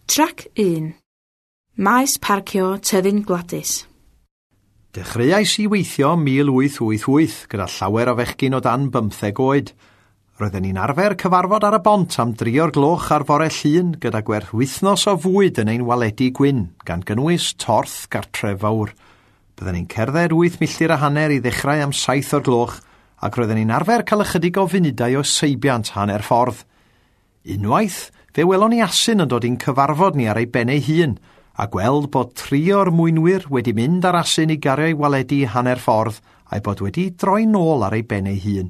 Trac 1. Maes parcio Tyddyn Gwladys. Dechreuais i weithio 1888 gyda llawer o fechgyn o dan 15 oed. Roedden ni'n arfer cyfarfod ar y bont am 3 o'r gloch ar fore Llun gyda gwerth wythnos o fwyd yn ein waledi gwyn, gan gynnwys torth gartref fawr. Bydden ni'n cerdded 8 milltir a hanner i ddechrau am 7 o'r gloch, ac roedden ni'n arfer cael ychydig o funudau o seibiant hanner ffordd. Unwaith, fe welon ni asyn yn dod i'n cyfarfod ni ar ei ben ei hun, a gweld bod tri o'r mwynwyr wedi mynd ar asyn i gario ei waledi hanner ffordd a'i bod wedi droi nôl ar ei ben ei hun.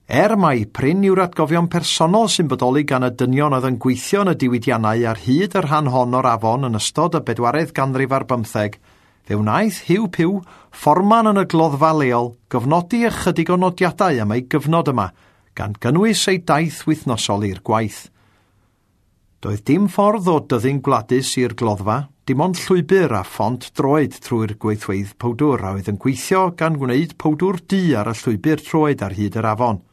Er mai prin yw'r atgofion personol sy'n bodoli gan y dynion oedd yn gweithio yn y diwydiannau ar hyd y rhan hon o'r afon yn ystod y bedwaredd ganrif ar bymtheg, fe wnaeth Hugh Pugh, fforman yn y gloddfa leol, gofnodi ychydig o nodiadau am ei gyfnod yma, gan gynnwys ei daith wythnosol i'r gwaith. Doedd dim ffordd o Dyddyn Gwladys i'r gloddfa, dim ond llwybr a phont droed trwy'r gweithfeydd powdwr a oedd yn gweithio gan wneud powdwr du ar y llwybr troed ar hyd yr afon.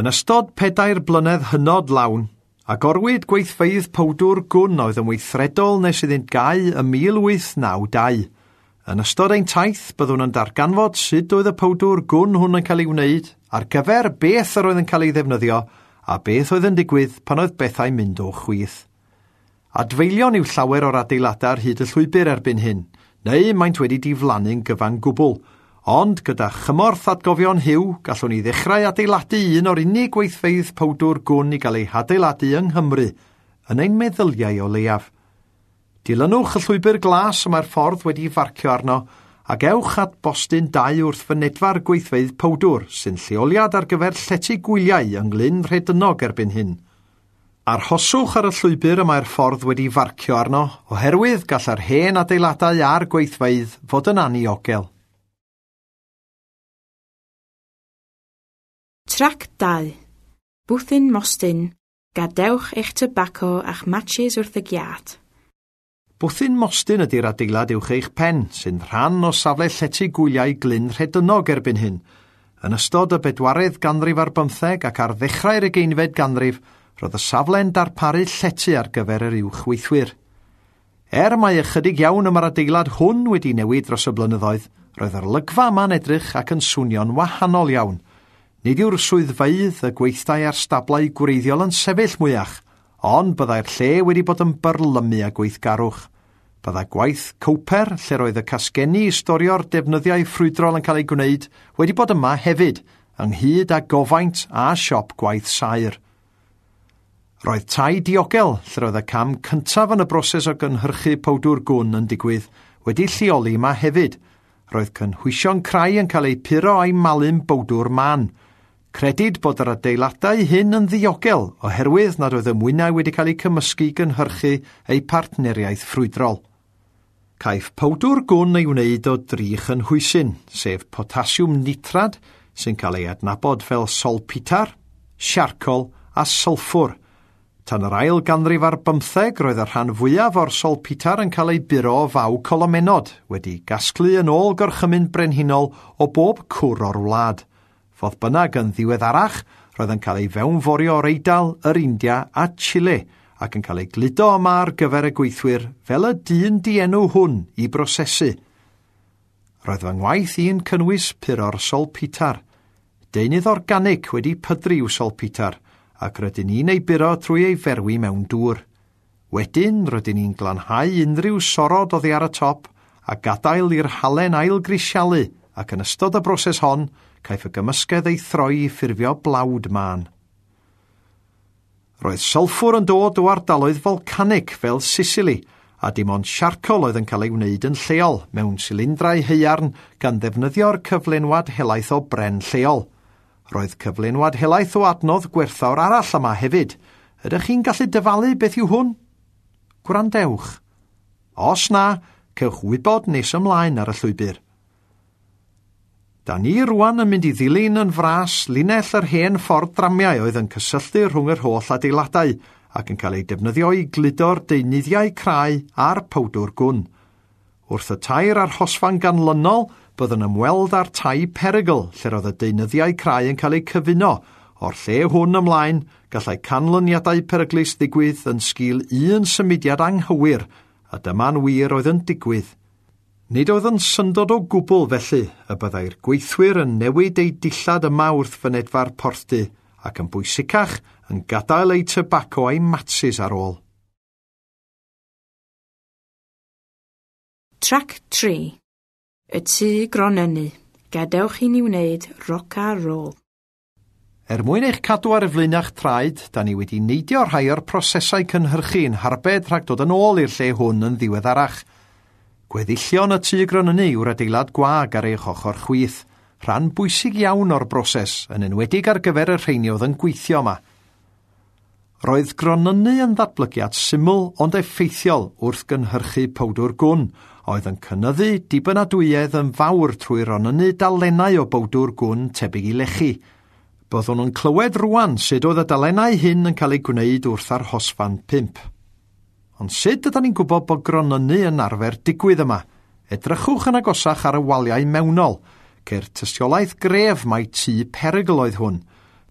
Yn ystod 4 blynedd hynod lawn, agorwyd gweithfeydd powdwr gwn oedd yn weithredol nes iddynt gau ym 1892. Yn ystod ein taith, byddwn yn darganfod sut oedd y powdwr gwn hwn yn cael ei wneud, ar gyfer beth yr oedd yn cael ei ddefnyddio, a beth oedd yn digwydd pan oedd bethau'n mynd o chwith. Adfeilion yw llawer o'r adeiladau ar hyd y llwybr erbyn hyn, neu maent wedi diflannu'n gyfan gwbl, ond gyda chymorth atgofion Hugh, gallwn ni ddechrau adeiladu un o'r unig gweithfeydd powdwr gwn i gael ei hadeiladu yng Nghymru, yn ein meddyliau o leiaf. Dilynwch y llwybr glas y mae'r ffordd wedi farcio arno, ac ewch at bostyn 2 wrth fynedfa'r gweithfeydd powdwr, sy'n lleoliad ar gyfer llety gwyliau yng Nglyn Rhedynog erbyn hyn. Arhoswch ar y llwybr y mae'r ffordd wedi farcio arno, oherwydd gall yr hen adeiladau a'r gweithfeydd fod yn aniogel. Trac 2. Bwthyn Mostyn. Gadewch eich tybaco a'ch matches wrth y giât. Bwthyn Mostyn ydy'r adeilad uwch eich pen, sy'n rhan o safle llety gwyliau Glyn Rhedynog erbyn hyn. Yn ystod y bedwaredd ganrif ar bymtheg ac ar ddechrau'r ugeinfed ganrif, roedd y safle'n darparu llety ar gyfer yr uwch weithwyr. Er mai ychydig iawn y mae'r adeilad hwn wedi newid dros y blynyddoedd, roedd yr olygfa yma'n edrych ac yn swnio'n wahanol iawn. Nid yw'r swyddfeydd, y gweithdai a'r stablau gwreiddiol yn sefyll mwyach, ond byddai'r lle wedi bod yn byrlymu a gweithgarwch. Byddai gwaith cowper, lle roedd y casgenni i storio'r defnyddiau ffrwydrol yn cael eu gwneud, wedi bod yma hefyd, ynghyd â gofaint a siop gwaith saer. Roedd tai diogel, lle roedd y cam cyntaf yn y broses o gynhyrchu powdwr gwn yn digwydd, wedi lleoli yma hefyd. Roedd cynhwysion crai yn cael eu puro a'i malu'n bowdwr man. Credid bod yr adeiladau hyn yn ddiogel oherwydd nad oedd y mwynau wedi cael eu cymysgu i gynhyrchu eu partneriaeth ffrwydrol. Caiff powdwr gwn ei wneud o dri chynhwysyn, sef potasiwm nitrad, sy'n cael ei adnabod fel solpitar, siarcol a sylffwr. Tan yr ail ganrif ar bymtheg, roedd y rhan fwyaf o'r solpitar yn cael ei buro o faw colomenod, wedi gasglu yn ôl gorchymyn brenhinol o bob cwr o'r wlad. Fodd bynnag yn ddiweddarach, roedd yn cael ei fewnforio o'r Eidal, yr India a Chile, ac yn cael ei gludo yma ar gyfer y gweithwyr fel y dyn dienw hwn i brosesu. Roedd fy ngwaith i'n cynnwys puro'r solpitar. Deunydd organic wedi pydru yw solpitar, ac rydyn ni'n ei buro trwy ei ferwi mewn dŵr. Wedyn, rydyn ni'n glanhau unrhyw sorod oddi ar y top a gadael i'r halen ailgrisialu, ac yn ystod y broses hon, caiff y gymysgedd ei throi i ffurfio blawd mân. Roedd sylffwr yn dod o ardaloedd volcanic fel Sicily, a dim ond siarcol oedd yn cael ei wneud yn lleol mewn silindrau haearn gan ddefnyddio'r cyflenwad helaeth o bren lleol. Roedd cyflenwad helaeth o adnodd gwerthfawr arall yma hefyd. Ydych chi'n gallu dyfalu beth yw hwn? Gwrandewch. Os na, cewch wybod nes ymlaen ar y llwybr. Da ni rwan yn mynd i ddilyn yn fras linell yr hen ffordd dramiau oedd yn cysylltu rhwng yr holl adeiladau ac yn cael ei defnyddio i gludo'r deunyddiau crai a'r powdwr gwn. Wrth y tair arhosfan ganlynol, byddwn ymweld â'r tai perygl lle roedd y deunyddiau crai yn cael eu cyfuno, O'r lle hwn ymlaen, gallai canlyniadau peryglus ddigwydd yn sgil un symudiad anghywir, a dyma'n wir oedd yn digwydd. Nid oedd yn syndod o gwbl felly y byddai'r gweithwyr yn newid eu dillad yma wrth fynedfa'r porthdy ac yn bwysicach yn gadael eu tybaco a'u matsis ar ôl. Trac 3. Y tŷ gronynnu. Gadewch i ni wneud roc a rôl. Er mwyn eich cadw ar y flaenach traed, da ni wedi neidio rhai o'r prosesau cynhyrchu yn harbed rhag dod yn ôl i'r lle hwn yn ddiweddarach. Gweddillion y tŷ gronynnu yw'r adeilad gwag ar eich ochr chwith, rhan bwysig iawn o'r broses, yn enwedig ar gyfer y rheini oedd yn gweithio yma. Roedd gronynnu yn ddatblygiad syml ond effeithiol wrth gynhyrchu powdwr gwn, oedd yn cynyddu dibynadwyedd yn fawr trwy ronynnu dalennau o bowdwr gwn tebyg i lechi. Byddwn yn clywed rwan sut oedd y dalennau hyn yn cael eu gwneud wrth arhosfan 5. Ond sut ydyn ni'n gwybod bod gronynnu yn arfer digwydd yma? Edrychwch yn agosach ar y waliau mewnol. Ceir tystiolaeth gref mai tŷ perygl oedd hwn.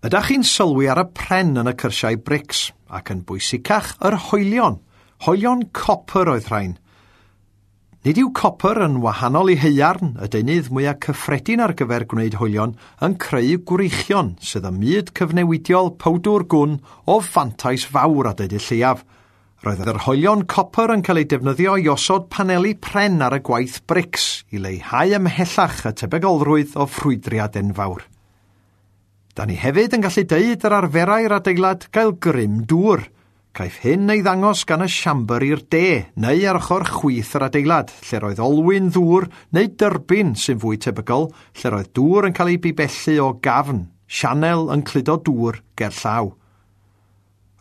Ydych chi'n sylwi ar y pren yn y cyrsiau brics, ac yn bwysicach yr hoelion. Hoelion copr oedd rhain. Nid yw copr yn wahanol i haearn, y deunydd mwyaf cyffredin ar gyfer gwneud hoelion, yn creu gwreichion sydd ym myd cyfnewidiol powdwr gwn o fantais fawr a deud y lleiaf. Roedd yr hoelion copr yn cael eu defnyddio i osod paneli pren ar y gwaith brics i leihau ymhellach y tebygolrwydd o ffrwydriad enfawr. Da ni hefyd yn gallu deud yr arferai'r adeilad gael grym dŵr. Caiff hyn ei ddangos gan y siambr i'r de, neu ar ochr chwith yr adeilad, lle roedd olwyn ddŵr neu dyrbin sy'n fwy tebygol, lle roedd dŵr yn cael ei bibellu o gafn, sianel yn cludo dŵr ger llaw.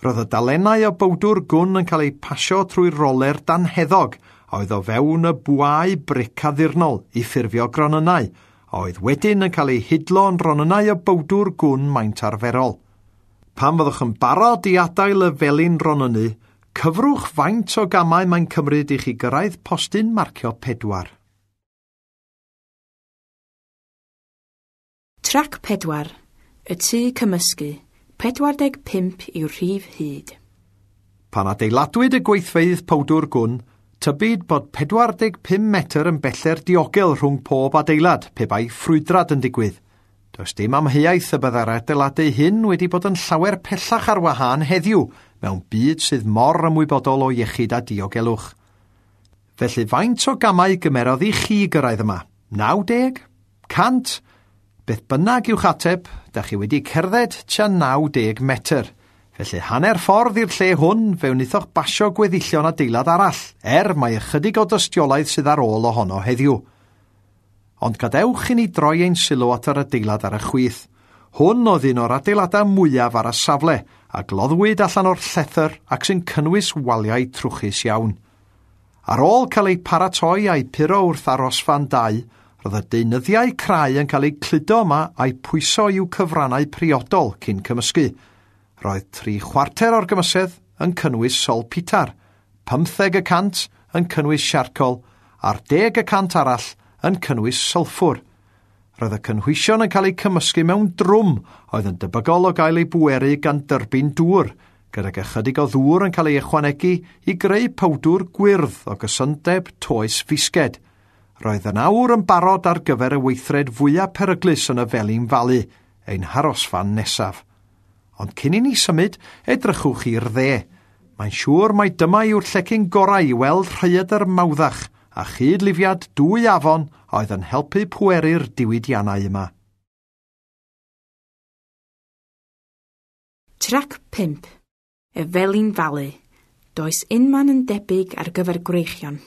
Roedd y dalennau o bowdwr gwn yn cael eu pasio trwy roler danheddog, a oedd o fewn y bwâu bric addurnol i ffurfio gronynnau, a oedd wedyn yn cael eu hidlo yn ronynnau o bowdwr gwn maint arferol. Pan fyddwch yn barod i adael y felin ronynnu, cyfrwch faint o gamau mae'n cymryd i chi gyrraedd postyn marcio 4. Trac 4. Y tŷ cymysgu. 45 yw'r rhif hyd. Pan adeiladwyd y gweithfeydd powdwr gwn, tybid bod 45 metr yn beller diogel rhwng pob adeilad pe bai ffrwydrad yn digwydd. Does dim amheuaeth y byddai'r adeiladu hyn wedi bod yn llawer pellach ar wahân heddiw mewn byd sydd mor ymwybodol o iechyd a diogelwch. Felly faint o gamau gymerodd i chi gyrraedd yma? 90? 100? Beth bynnag yw'ch ateb, da chi wedi cerdded tua 90 metr. Felly hanner ffordd i'r lle hwn, fe wnaethoch basio gweddillion adeilad arall, er mai ychydig o dystiolaeth sydd ar ôl ohono heddiw. Ond gadewch i ni droi ein sylw at yr adeilad ar y chwith. Hwn oedd un o'r adeiladau mwyaf ar y safle, a gloddwyd allan o'r llethr ac sy'n cynnwys waliau trwchus iawn. Ar ôl cael eu paratoi a'u puro wrth arosfan 2, roedd y deunyddiau crai yn cael eu cludo yma a'u pwyso i'w cyfrannau priodol cyn cymysgu. Roedd 3/4 o'r gymysedd yn cynnwys solpitar, 15% yn cynnwys siarcol, a'r 10% arall yn cynnwys sylffwr. Roedd y cynhwysion yn cael eu cymysgu mewn drwm oedd yn debygol o gael ei bweru gan dyrbin dŵr, gydag ychydig o ddŵr yn cael ei ychwanegu i greu powdwr gwyrdd o gysondeb toes fisged. Roedd yn awr yn barod ar gyfer y weithred fwyaf peryglus yn y Felin Falu, ein harosfan nesaf. Ond cyn i ni symud, edrychwch i'r dde. Mae'n siŵr mai dyma yw'r llecyn gorau i weld rhaeadr Mawddach a chydlifiad dwy afon oedd yn helpu pweru'r diwydiannau yma. Trac 5. Y Felin Falu. Does unman yn debyg ar gyfer gwreichion.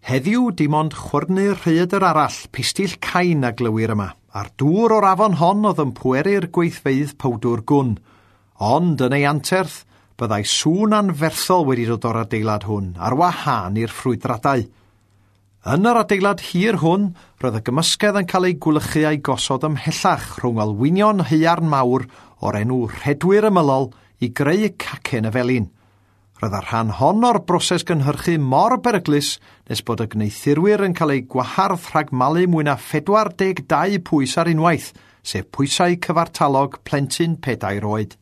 Heddiw dim ond chwyrnu'r rhaeadr arall, pistill cain a glywir yma, a'r dŵr o'r afon hon oedd yn pweru'r gweithfeydd powdwr gwn. Ond yn ei anterth, byddai sŵn anferthol wedi dod o'r adeilad hwn, ar wahân i'r ffrwydradau. Yn yr adeilad hir hwn, roedd y gymysgedd yn cael ei gwlychu a'i gosod ymhellach rhwng olwynion haearn mawr o'r enw rhedwyr ymylol i greu cacen y felin. Roedd y rhan hon o'r broses gynhyrchu mor beryglus nes bod y gwneuthurwyr yn cael eu gwahardd rhag malu mwy na 42 pwys ar unwaith, sef pwysau cyfartalog plentyn 4 oed.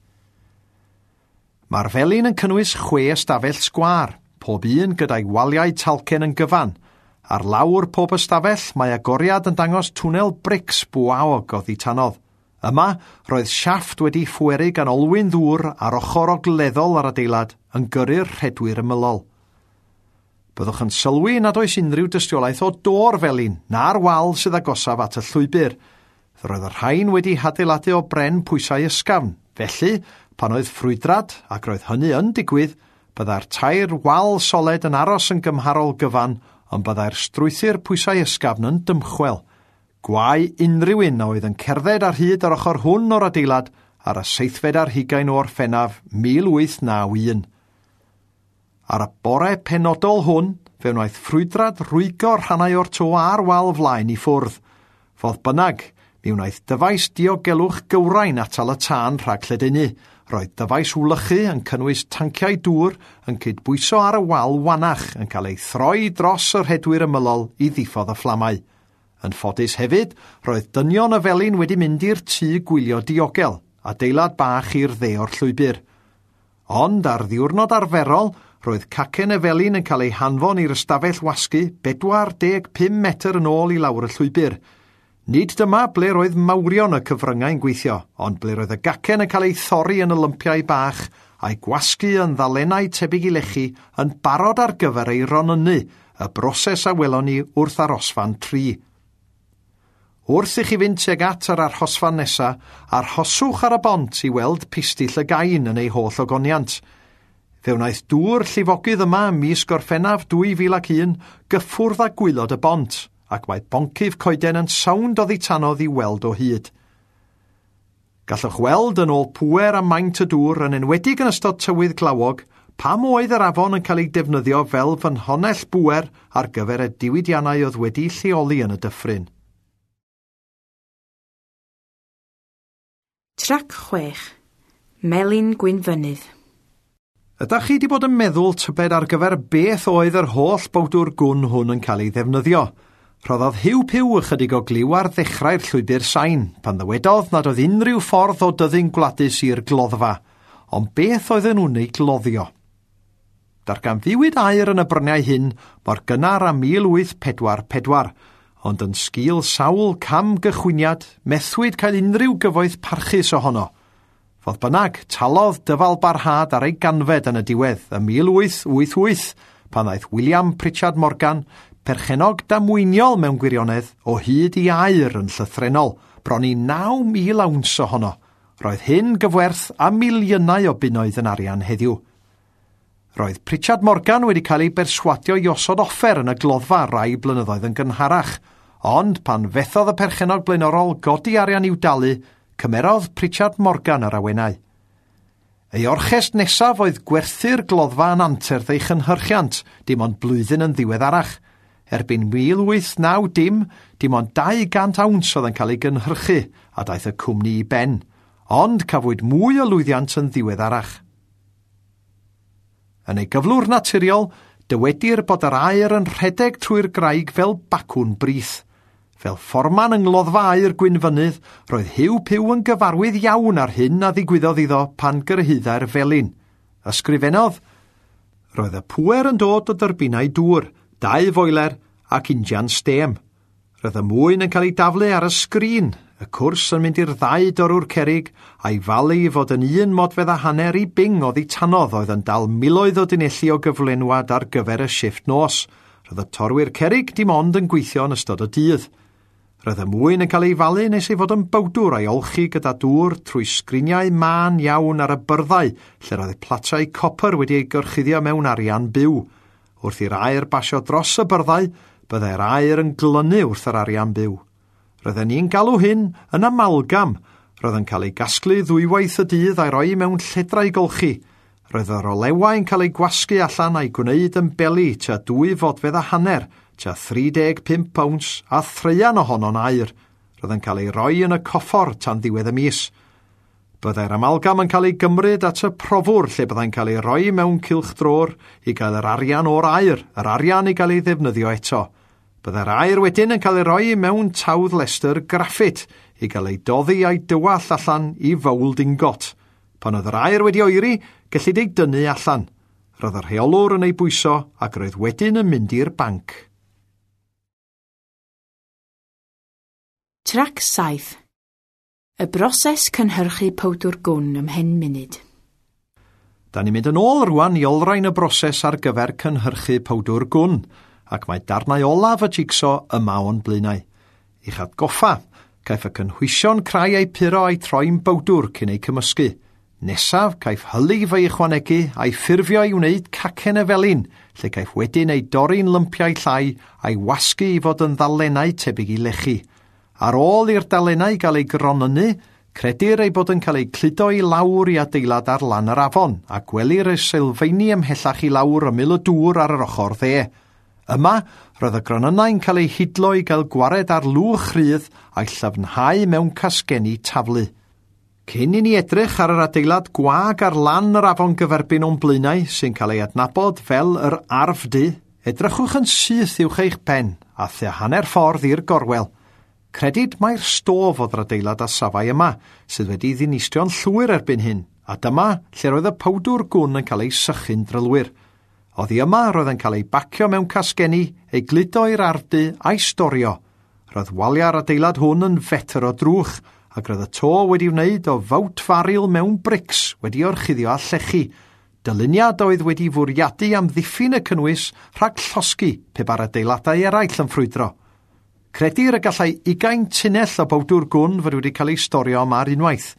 Mae'r felin yn cynnwys 6 ystafell sgwâr, pob un gyda'i waliau talcen yn gyfan. Ar lawr pob ystafell mae agoriad yn dangos twnnel brics bwaog oddi tanodd. Yma, roedd siafft wedi phweru gan olwyn ddŵr ar ochr ogleddol yr adeilad yn gyrru'r rhedwyr ymylol. Byddwch yn sylwi nad oes unrhyw dystiolaeth o do'r felin na'r wal sydd agosaf at y llwybr. Roedd y rhain wedi hadeiladu o bren pwysau ysgafn. Felly, pan oedd ffrwydrad, ac roedd hynny yn digwydd, byddai'r 3 wal soled yn aros yn gymharol gyfan, ond byddai'r strwythur pwysau ysgafn yn dymchwel. Gwae unrhyw un a oedd yn cerdded ar hyd yr ochr hwn o'r adeilad ar y 27 o Orffennaf 1891. Ar y bore penodol hwn, fe wnaeth ffrwydrad rwygo rhannau o'r to a'r wal flaen i ffwrdd. Fodd bynnag, mi wnaeth dyfais diogelwch gywrain atal y tân rhag lledaenu. Roedd dyfais wlychu yn cynnwys tanciau dŵr yn cydbwyso ar y wal wanach yn cael ei throi dros y rhedwyr ymylol i ddiffodd y fflamau. Yn ffodus hefyd, roedd dynion y felin wedi mynd i'r tŷ gwylio diogel, adeilad bach i'r dde o'r llwybr. Ond ar ddiwrnod arferol, roedd cacen y felin yn cael ei hanfon i'r ystafell wasgu 45 metr yn ôl i lawr y llwybr. Nid dyma ble roedd mawrion y cyfryngau'n gweithio, ond ble roedd y gacen yn cael ei thorri yn y lympiau bach a'i gwasgu yn ddalennau tebyg i lechi yn barod ar gyfer ei ronynnu, y broses a welon ni wrth arosfan 3. Wrth i chi fynd tuag at yr arhosfan nesa, arhoswch ar y bont i weld pistill y gain yn ei holl ogoniant. Fe wnaeth dŵr llifogydd yma ym mis Gorffennaf 2001 gyffwrdd â gwaelod y bont, ac mae boncyff coeden yn sownd oddi tanodd i weld o hyd. Gallwch weld yn ôl pŵer a maint y dŵr yn enwedig yn ystod tywydd glawog pam oedd yr afon yn cael ei defnyddio fel ffynhonnell bŵer ar gyfer y diwydiannau oedd wedi lleoli yn y dyffryn. Trac 6. Melin Gwynfynydd. Ydych chi wedi bod yn meddwl tybed ar gyfer beth oedd yr holl bowdwr gwn hwn yn cael ei ddefnyddio? Rhoddodd Huw Puw ychydig o gliw ar ddechrau'r llwybr sain, pan ddywedodd nad oedd unrhyw ffordd o dyddyn gwladus i'r gloddfa, ond beth oedden nhw'n ei gloddio? Darganfuwyd aur yn y bryniau hyn mor gynnar â 1844, ond yn sgil sawl cam gychwyniad, methwyd cael unrhyw gyfoeth parchus ohono. Fodd bynnag, talodd dyfal barhad ar ei ganfed yn y diwedd ym 1888, pan ddaeth William Pritchard Morgan, perchennog damweiniol mewn gwirionedd, o hyd i aur yn llythrennol, bron i 9,000 awns ohono. Roedd hyn gyfwerth a miliynau o bunnoedd yn arian heddiw. Roedd Pritchard Morgan wedi cael ei berswadio i osod offer yn y gloddfa rai blynyddoedd yn gynharach, ond pan fethodd y perchennog blaenorol godi arian i'w dalu, cymerodd Pritchard Morgan yr awenau. Ei orchest nesaf oedd gwerthu'r gloddfa yn anterth ei chynhyrchiant, dim ond blwyddyn yn ddiweddarach. Erbyn 1890, dim ond 200 awns oedd yn cael ei gynhyrchu, a daeth y cwmni i ben, ond cafwyd mwy o lwyddiant yn ddiweddarach. Yn ei gyflwr naturiol, dywedir bod yr aer yn rhedeg trwy'r graig fel bacwn brith. Fel fforman yng ngloddfa aur Gwynfynydd, roedd Huw Puw yn gyfarwydd iawn ar hyn a ddigwyddodd iddo pan gyrhaeddai'r felin. Ysgrifennodd, roedd y pŵer yn dod o dyrbinau dŵr, 2 foiler ac injan stêm. Roedd y mwyn yn cael ei daflu ar y sgrin, y cwrs yn mynd i'r ddau dorwr cerrig, a'i falu i fod yn 1.5 modfedd i bing oddi tanodd oedd yn dal miloedd o dunelli o gyflenwad ar gyfer y shifft nos. Roedd y torwyr cerrig dim ond yn gweithio yn ystod y dydd. Roedd y mwyn yn cael ei falu nes ei fod yn bowdwr a'i olchi gyda dŵr trwy sgriniau mân iawn ar y byrddau lle roedd platau copr wedi ei gorchuddio mewn arian byw. Wrth i'r aer basio dros y byrddau, byddai'r aer yn glynu wrth yr arian byw. Roedden ni'n galw hyn yn amalgam. Roedd yn cael ei gasglu ddwywaith y dydd a'i roi mewn lledrau golchi. Roedd yr olewau'n cael ei gwasgu allan a'i gwneud yn beli tua 2.5 fodfedd, tua 35 owns a threian ohono'n aur. Roedd yn cael ei roi yn y coffor tan ddiwedd y mis. Byddai'r amalgam yn cael ei gymryd at y profwr lle byddai'n cael ei roi mewn cylchdrôr i gael yr arian o'r aur, yr arian i gael ei ddefnyddio eto. Byddai'r aur wedyn yn cael ei roi mewn tawdd lestr graffit i gael ei doddi a'i dywall allan i fowld ingot. Pan oedd yr aer wedi oeri, gellid ei dynnu allan. Roedd y rheolwr yn ei bwyso ac roedd wedyn yn mynd i'r banc. Trac 7. Y broses cynhyrchu powdwr gwn ymhen munud. Da ni'n mynd yn ôl rwan i olrhain y broses ar gyfer cynhyrchu powdwr gwn, ac mae darnau olaf y jigso yma o'n blaenau. I'ch atgoffa, caiff y cynhwysion crai eu puro a'i troi'n bowdwr cyn eu cymysgu. Nesaf, caiff hylif ei ychwanegu a'i ffurfio i wneud cacen y felin, lle caiff wedyn ei dorri'n lympiau llai a'i wasgu i fod yn ddalennau tebyg i lechi. Ar ôl i'r dalennau gael eu gronynnu, credir ei bod yn cael eu cludo i lawr i adeilad ar lan yr afon, a gwelir y sylfaeni ymhellach i lawr ymyl y dŵr ar yr ochr dde. Yma, roedd y gronynnau'n cael eu hidlo i gael gwared ar lwch rhydd a'i llyfnhau mewn casgenni taflu. Cyn i ni edrych ar yr adeilad gwag ar lan yr afon gyferbyn o'n blaenau sy'n cael ei adnabod fel yr Arfdy, edrychwch yn syth uwch eich pen a thua hanner ffordd i'r gorwel. Credid mai'r stof oedd yr adeilad a safai yma, sydd wedi ddinistrio'n llwyr erbyn hyn, a dyma lle roedd y powdwr gwn yn cael ei sychu'n drylwyr. Oddi yma roedd yn cael ei bacio mewn casgenni, ei gludo i'r arfdy a'i storio. Roedd waliau'r adeilad hwn yn fetr o drwch, ac roedd y to wedi wneud o fawt faril mewn brics wedi orchuddio â llechi. Dyluniad oedd wedi fwriadu amddiffyn y cynnwys rhag llosgi pe ba'r adeiladau eraill yn ffrwydro. Credir y gallai 20 tunnell o bowdwr gwn fod wedi cael ei storio yma ar unwaith,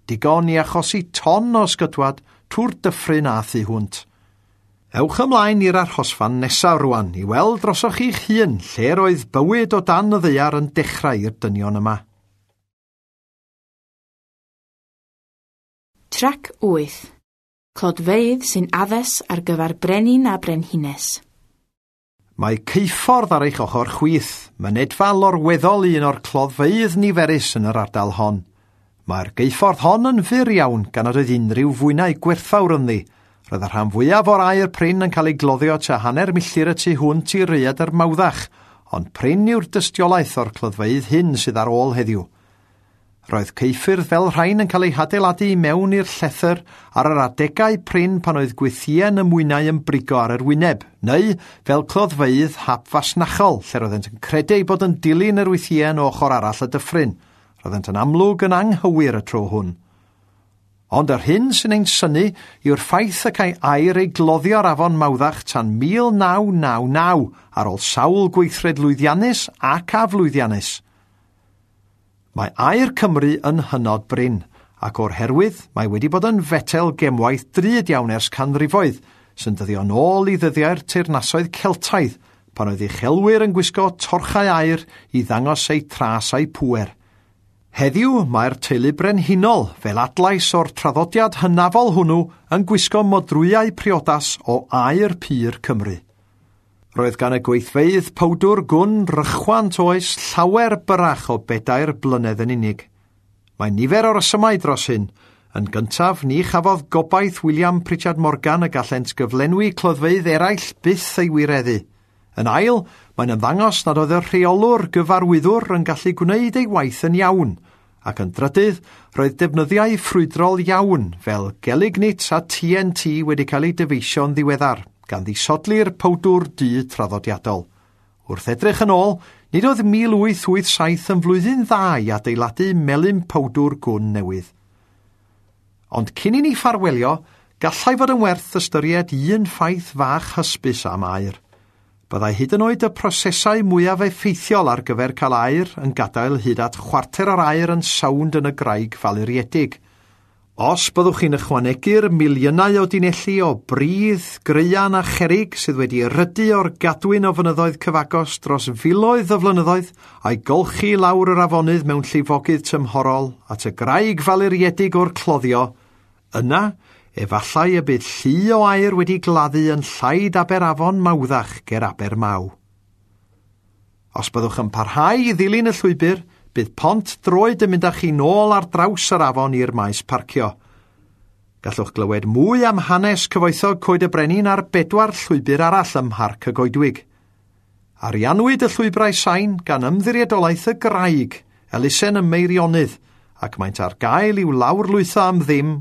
digon i achosi ton o ysgytwad trwy'r dyffryn a thu hwnt. Ewch ymlaen i'r arhosfan nesaf rwan i weld drosoch chi'ch hun lle roedd bywyd o dan y ddaear yn dechrau i'r dynion yma. Trac 8. Clodfeydd sy'n addas ar gyfer brenin a brenhines. Mae ceuffordd ar eich ochr chwith, mynedfa lorweddol un o'r cloddfeydd niferus yn yr ardal hon. Mae'r geuffordd hon yn fyr iawn gan nad oedd unrhyw fwynau gwerthfawr ynddi. Roedd y rhan fwyaf o'r aer prin yn cael ei gloddio tua hanner milltir y tu hwnt i Raeadr Mawddach, ond prin yw'r dystiolaeth o'r cloddfeydd hyn sydd ar ôl heddiw. Roedd ceuffyrdd fel rhain yn cael eu hadeiladu i mewn i'r llethr ar yr adegau prin pan oedd gwythïen y mwynau yn brigo ar yr wyneb, neu fel cloddfeydd hapfasnachol, lle roeddent yn credu eu bod yn dilyn yr wythïen o ochr arall y dyffryn. Roeddent yn amlwg yn anghywir y tro hwn. Ond yr hyn sy'n ein synnu yw'r ffaith y cae aer ei gloddio ar afon Mawddach tan 1999 ar ôl sawl gweithred lwyddiannus ac aflwyddiannus. Mae aer Cymru yn hynod brin, ac o'r herwydd mae wedi bod yn fetel gemwaith drud iawn ers canrifoedd, sy'n dyddio nôl i ddyddiau'r teyrnasoedd Celtaidd, pan oedd uchelwyr yn gwisgo torchau aer i ddangos eu tras a'u pŵer. Heddiw mae'r teulu brenhinol, fel adlais o'r traddodiad hynafol hwnnw, yn gwisgo modrwyau priodas o aer pur Cymru. Roedd gan y gweithfeydd powdwr gwn rychwant oes llawer byrach o 4 blynedd yn unig. Mae nifer o resymau dros hyn. Yn gyntaf, ni chafodd gobaith William Pritchard Morgan y gallent gyflenwi cloddfeydd eraill byth ei wireddu. Yn ail, mae'n ymddangos nad oedd y rheolwr gyfarwyddwr yn gallu gwneud ei waith yn iawn, ac yn drydydd, roedd defnyddiau ffrwydrol iawn fel gelignit a TNT wedi cael eu dyfeisio'n ddiweddar, gan ddisodli'r powdwr du traddodiadol. Wrth edrych yn ôl, nid oedd 1887 yn flwyddyn dda i adeiladu melyn powdwr gwn newydd. Ond cyn i ni ffarwelio, gallai fod yn werth ystyried un ffaith fach hysbys am aer. Byddai hyd yn oed y prosesau mwyaf effeithiol ar gyfer cael aer yn gadael hyd at chwarter o'r aer yn sownd yn y graig faluriedig. Os byddwch chi'n ychwanegu'r miliynau o dunelli o bridd, graean a cherig sydd wedi erydu o'r gadwyn o fynyddoedd cyfagos dros filoedd o flynyddoedd a'i golchi lawr yr afonydd mewn llifogydd tymhorol at y graig faluriedig o'r cloddio, yna efallai y bydd llu o aer wedi gladdu yn llaid Aberafon Mawddach ger Abermaw. Os byddwch yn parhau i ddilyn y llwybr, bydd pont droed yn mynd â chi nôl ar draws yr afon i'r maes parcio. Gallwch glywed mwy am hanes cyfoethog Coed y Brenin ar 4 llwybr arall ym Mharc y Goedwig. Ariannwyd y llwybrau sain gan Ymddiriedolaeth y Graig elusen y Meirionnydd, ac maent ar gael i'w lawrlwytho am ddim